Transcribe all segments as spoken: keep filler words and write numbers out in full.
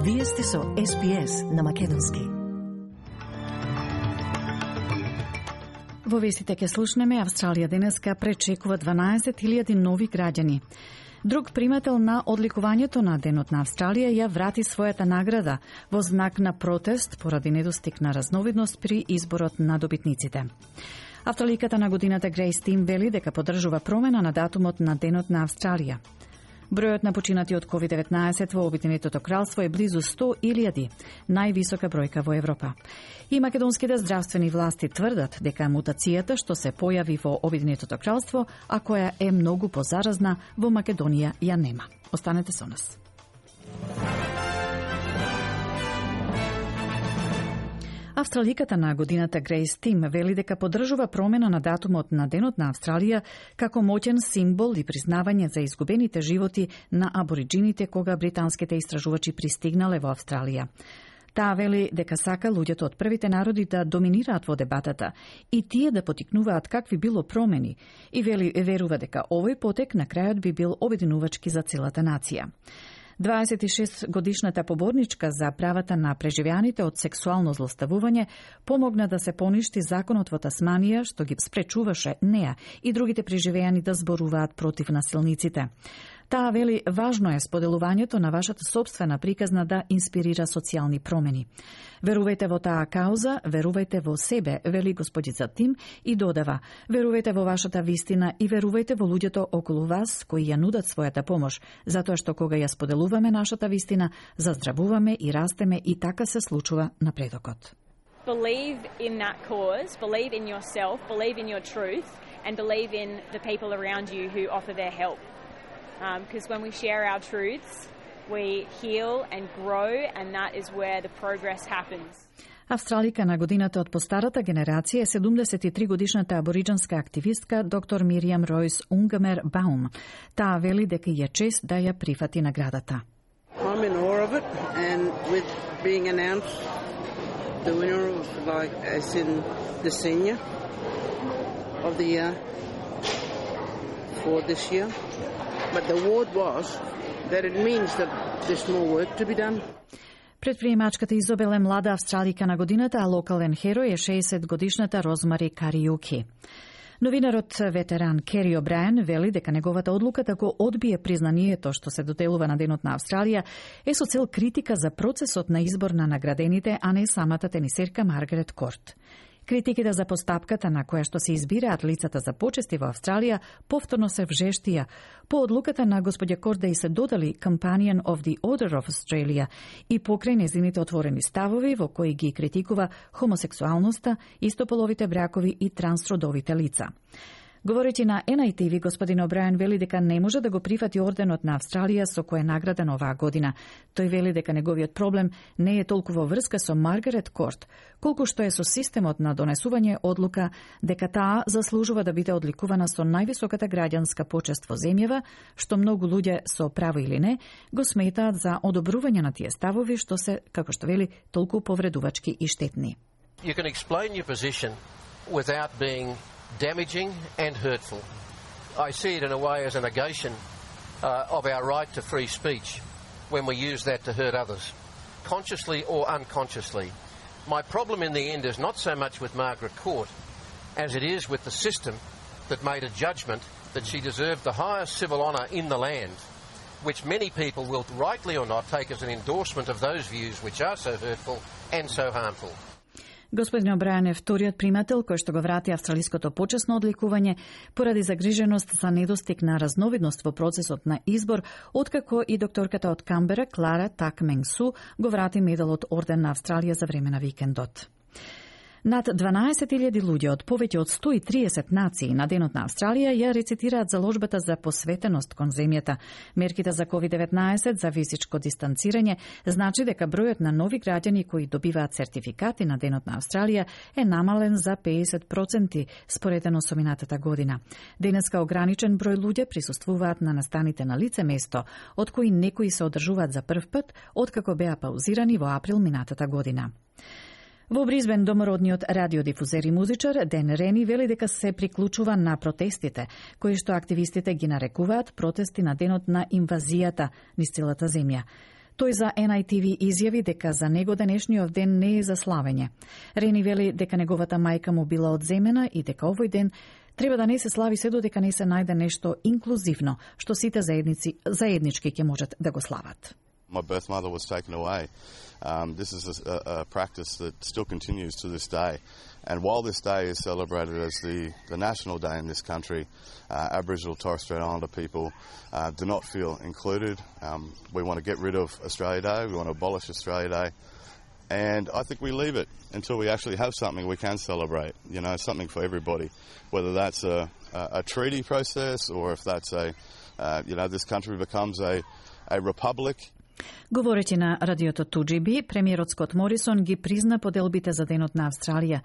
Вие сте со Ес Би Ес на македонски. Во вестите ќе слушнеме Австралија денеска пречекува дванаесет илјади нови граѓани. Друг примател на одликувањето на Денот на Австралија ја врати својата награда во знак на протест поради недостиг на разновидност при изборот на добитниците. Австраликата на годината Грейс Тим вели дека поддржува промена на датумот на Денот на Австралија. Бројот на починати од ковид деветнаесет во Обединетото кралство е близу сто илјади, највисока бројка во Европа. И македонските здравствени власти тврдат дека мутацијата што се појави во Обединетото кралство, а која е многу позаразна, во Македонија ја нема. Останете со нас. Австраликата на годината Грейс Тим вели дека поддржува промена на датумот на Денот на Австралија како моќен символ и признавање за изгубените животи на абориджините кога британските истражувачи пристигнале во Австралија. Таа вели дека сака луѓето од првите народи да доминираат во дебатата и тие да потикнуваат какви било промени и вели верува дека овој потек на крајот би бил обединувачки за целата нација. дваесет и шест годишната поборничка за правата на преживеаните од сексуално злоставување помогна да се поништи законот во Тасманија што ги спречуваше неа и другите преживеани да зборуваат против насилниците. Таа вели важно е споделувањето на вашата собствена приказна да инспирира социјални промени. Верувајте во таа кауза, верувајте во себе, вели господица Тим и додава: верувајте во вашата вистина и верувајте во луѓето околу вас кои ја нудат својата помош, затоа што кога ја споделуваме нашата вистина, заздравуваме и растеме и така се случува напредокот. Believe in that cause, believe in yourself, believe in your truth and believe in the people around you who offer their help. Because um, when we share our truths, we heal and grow, and that is where the progress happens. Австралика на годината од постарата генерација е седумдесет и три годишната абориджанска активистка доктор Мириам Ройс Унгамер Баум. Таа вели дека ја чест да ја прифати наградата. I'm in awe of it, and with being announced the winner of, like, as in the senior of the year for this year. But the award was that it means that there's more work to be done. Предприемачката Изобел е млада австралика на годината, а локален херој е шеесет годишната Розмари Кариуки. Новинарот ветеран Кери О'Брајен вели дека неговата одлука да го одбие признанието што се доделува на Денот на Австралија е со цел критика за процесот на избор на наградените, а не самата тенисерка Маргарет Корт. Критиките за постапката на која што се избираат лицата за почести во Австралија повторно се вжештија. По одлуката на господја Корт да и се додали Companion of the Order of Australia и покрај незините отворени ставови во кои ги критикува хомосексуалноста, истополовите бракови и трансродовите лица. Говорејќи на Ен Ај Ти Ви, господин О'Брајен вели дека не може да го прифати орденот на Австралија со кој е награден оваа година. Тој вели дека неговиот проблем не е толку во врска со Маргарет Корт, колку што е со системот на донесување одлука дека таа заслужува да биде одликувана со највисоката граѓанска почест во земјава, што многу луѓе со право или не го сметаат за одобрување на тие ставови што се, како што вели, толку повредувачки и штетни. You can explain your position without being damaging and hurtful. I see it in a way as a negation uh, of our right to free speech when we use that to hurt others, consciously or unconsciously. My problem in the end is not so much with Margaret Court as it is with the system that made a judgment that she deserved the highest civil honour in the land, which many people will, rightly or not, take as an endorsement of those views which are so hurtful and so harmful. Господин О'Брајен е вториот примател кој што го врати австралиското почесно одликување поради загриженост за недостиг на разновидност во процесот на избор, откако и докторката од Камбера Клара Так Менг Су го врати медалот Орден на Австралија за време на викендот. Над дванаесет илјади луѓе од повеќе од сто и триесет нации на Денот на Австралија ја рецитираат заложбата за посветеност кон земјата. Мерките за ковид деветнаесет за физичко дистанцирање значи дека бројот на нови граѓани кои добиваат сертификати на Денот на Австралија е намален за педесет проценти споредено со минатата година. Денеска ограничен број луѓе присуствуваат на настаните на лице место, од кои некои се одржуваат за прв пат откако беа паузирани во април минатата година. Во Бризбен домородниот радиодифузер и музичар Ден Рени вели дека се приклучува на протестите, кои што активистите ги нарекуваат протести на денот на инвазијата низ целата земја. Тој за Ен Ај Ти Ви изјави дека за него денешниот ден не е за славење. Рени вели дека неговата мајка му била одземена и дека овој ден треба да не се слави се додека не се најде нешто инклузивно, што сите заедници заеднички ќе можат да го слават. My birth mother was taken away. Um, this is a, a practice that still continues to this day. And while this day is celebrated as the, the national day in this country, uh, Aboriginal Torres Strait Islander people uh, do not feel included. Um, we want to get rid of Australia Day. We want to abolish Australia Day. And I think we leave it until we actually have something we can celebrate, you know, something for everybody, whether that's a, a, a treaty process or if that's a, uh, you know, this country becomes a, a republic. Говореći на радиото Ту Джи Би, премиерот Скот Морисон ги призна поделбите за Денот на Австралија,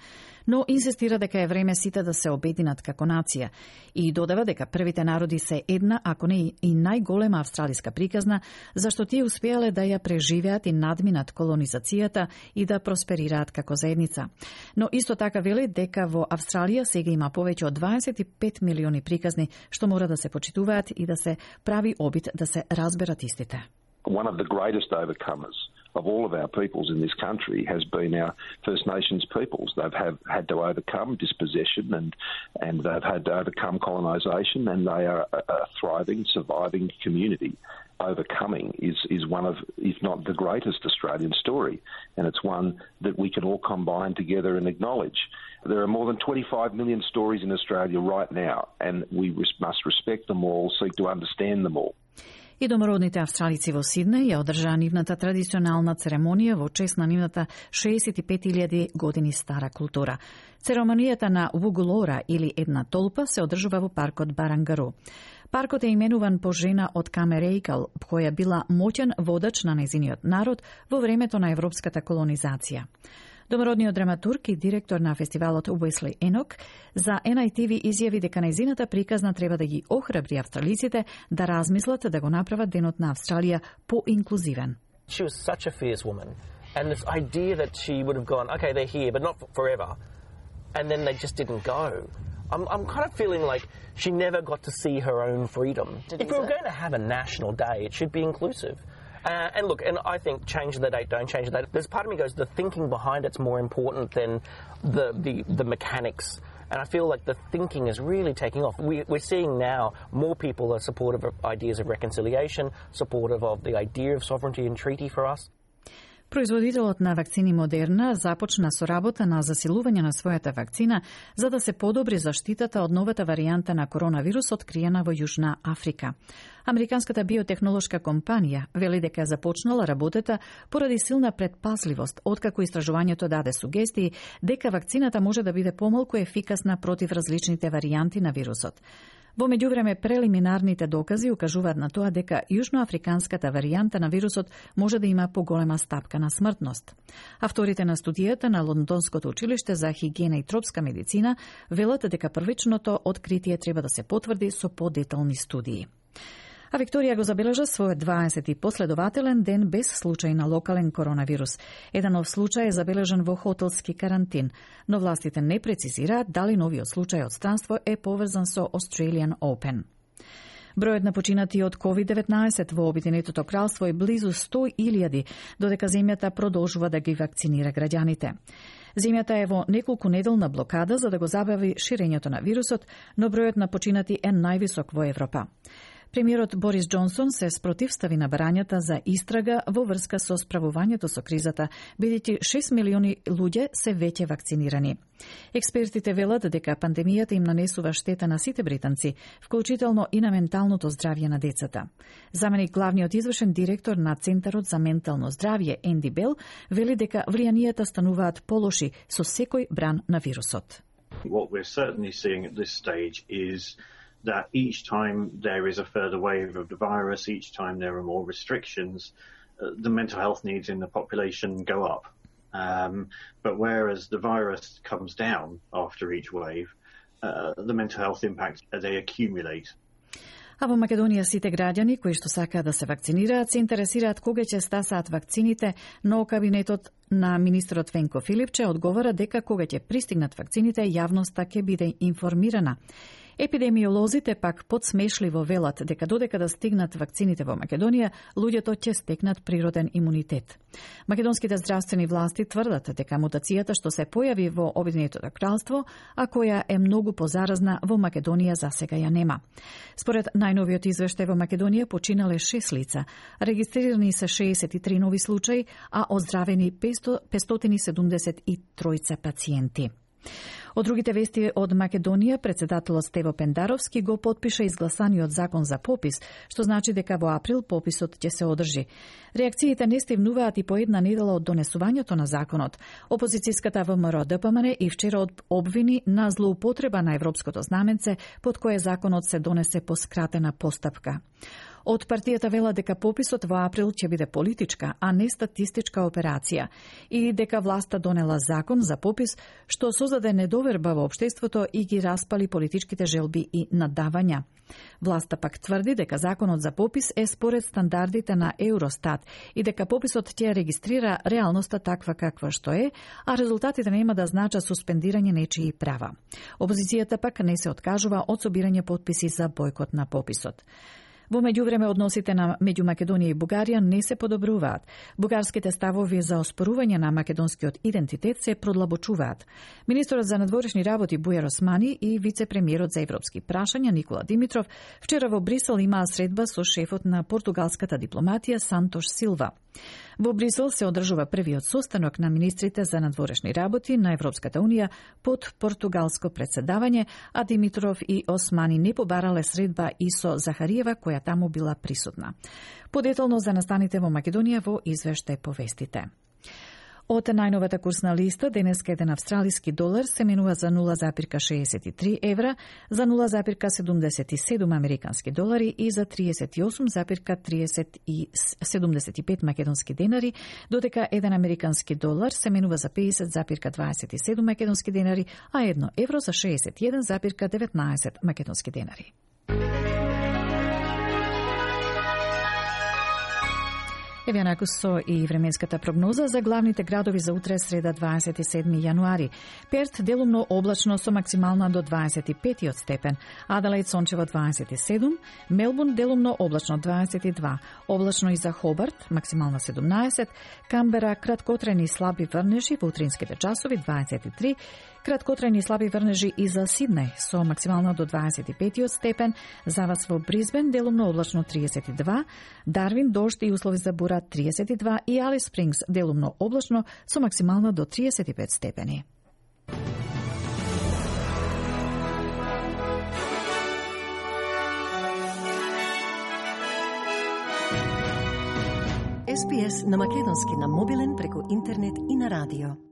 но инсистира дека е време сите да се обединат како нација и додава дека првите народи се една, ако не и најголема австралиска приказна, зашто тие успеале да ја преживеат и надминат колонизацијата и да просперираат како заедница. Но исто така вели дека во Австралија сега има повеќе од дваесет и пет милиони приказни што мора да се почитуваат и да се прави обид да се разберат истите. One of the greatest overcomers of all of our peoples in this country has been our First Nations peoples. They've have had to overcome dispossession and, and they've had to overcome colonisation, and they are a, a thriving, surviving community. Overcoming is, is one of, if not the greatest Australian story, and it's one that we can all combine together and acknowledge. There are more than twenty-five million stories in Australia right now, and we must respect them all, seek to understand them all. И домородните австралици во Сиднеј ја одржаа нивната традиционална церемонија во чест на нивната шеесет и пет илјади години стара култура. Церемонијата на Вугулора или една толпа се одржува во паркот Барангару. Паркот е именуван по жена од Камерејкал, која била моќен водач на нејзиниот народ во времето на европската колонизација. Домородниот драматург и директор на фестивалот Уесли Енок за Ен Ај Ти Ви изјави дека нејзината приказна треба да ги охрабри австралиците да размислат да го направат Денот на Австралија по-инклузивен. She was such a fierce woman, and this idea that she would have gone, okay, they're here, but not forever, and then they just didn't go. I'm, I'm kind of feeling like she never got to see her own freedom. If we were going to have a national day, it should be inclusive. Uh, and look, and I think change the date, don't change the date. There's part of me goes, the thinking behind it's more important than the, the, the mechanics. And I feel like the thinking is really taking off. We, we're seeing now more people are supportive of ideas of reconciliation, supportive of the idea of sovereignty and treaty for us. Производителот на вакцини Модерна започна со работа на засилување на својата вакцина за да се подобри заштитата од новата варијанта на коронавирус откриена во Јужна Африка. Американската биотехнолошка компанија вели дека започнала работата поради силна предпазливост, откако истражувањето даде сугестии дека вакцината може да биде помалку ефикасна против различните варијанти на вирусот. Во меѓувреме, прелиминарните докази укажуваат на тоа дека јужноафриканската варијанта на вирусот може да има поголема стапка на смртност. Авторите на студијата на Лондонското училиште за хигиена и тропска медицина велат дека првичното откритие треба да се потврди со подетални студии. А Викторија го забележа својот дваесети последователен ден без случај на локален коронавирус. Еден нов случај е забележан во хотелски карантин, но властите не прецизираат дали новиот случај од странство е поврзан со Australian Open. Бројот на починати од ковид деветнаесет во Обединетото кралство е близу сто илјади, додека земјата продолжува да ги вакцинира граѓаните. Земјата е во неколку неделна блокада за да го забави ширењето на вирусот, но бројот на починати е највисок во Европа. Премиерот Борис Џонсон се спротивстави на барањата за истрага во врска со справувањето со кризата, бидејќи шест милиони луѓе се веќе вакцинирани. Експертите велат дека пандемијата им нанесува штета на сите британци, вклучително и на менталното здравје на децата. Заменик главниот извршен директор на Центарот за ментално здравје Енди Бел вели дека влијанијата стануваат полоши со секој бран на вирусот. What we're certainly seeing at this stage is that each time there is a further wave of the virus, each time there are more restrictions, uh, the mental health needs in the population go up. Um, but whereas the virus comes down after each wave, uh, the mental health impacts, uh, they accumulate. А во Македонија сите граѓани кои што сакаат да се вакцинираат се интересираат кога ќе стасаат вакцините, но кабинетот на министерот Венко Филипче одговара дека кога ќе пристигнат вакцините, јавноста ќе биде информирана. Епидемиолозите пак подсмешливо велат дека додека да стигнат вакцините во Македонија, луѓето ќе стекнат природен имунитет. Македонските здравствени власти тврдат дека мутацијата што се појави во Обединетото кралство, а која е многу позаразна во Македонија засега ја нема. Според најновиот извештај во Македонија починале шест лица, регистрирани се шеесет и три нови случаи, а оздравени петстотини седумдесет и тројца пациенти. Од другите вести од Македонија, председателот Стево Пендаровски го потпиша изгласаниот закон за попис, што значи дека во април пописот ќе се одржи. Реакциите не стивнуваат и по една недела од донесувањето на законот. Опозицијската ВМРО Д П М Н и вчера обвини на злоупотреба на европското знаменце, под кое законот се донесе по скратена постапка. Од партијата вела дека пописот во април ќе биде политичка, а не статистичка операција и дека власта донела закон за попис што создаде недоверба во општеството и ги распали политичките желби и надавања. Власта пак тврди дека законот за попис е според стандардите на Евростат и дека пописот ќе регистрира реалноста таква каква што е, а резултатите нема да значат суспендирање нечии права. Опозицијата пак не се откажува од собирање потписи за бојкот на пописот. Во меѓувреме односите на меѓу Македонија и Бугарија не се подобруваат. Бугарските ставови за оспорување на македонскиот идентитет се продлабочуваат. Министерот за надворешни работи Бујар Османи и вице-премиерот за европски прашања Никола Димитров вчера во Брисел имаа средба со шефот на португалската дипломатија Сантош Силва. Во Брисел се одржува првиот состанок на министрите за надворешни работи на Европската унија под португалско председавање, а Димитров и Османи не побарале средба и со Захариева, која таму била присутна. Подетално за настаните во Македонија во извештај по вестите. Од најновата курсна листа, денеска еден австралиски долар се менува за нула запирка шеесет и три евра, за нула запирка седумдесет и седум американски долари и за триесет и осум запирка седумдесет и пет македонски денари, додека еден американски долар се менува за педесет запирка дваесет и седум македонски денари, а едно евро за шеесет и еден запирка деветнаесет македонски денари. Еве накус со и временската прогноза за главните градови за утре среда дваесет и седми јануари. Перт делумно облачно со максимална до дваесет и пет степен, Аделаид сончево дваесет и седум, Мелбурн делумно облачно дваесет и два, облачно и за Хобарт максимална седумнаесет, Камбера краткотрени слаби врнежи во утринските часови дваесет и три, краткотрени слаби врнежи и за Сиднеј со максимална до дваесет и пет степен, за вас во Бризбен делумно облачно триесет и два, Дарвин дожд и услови за бура триесет и два и Алис Спрингс делумно облачно со максимална до триесет и пет степени. Ес Пи Ес на македонски на мобилен преку интернет и на радио.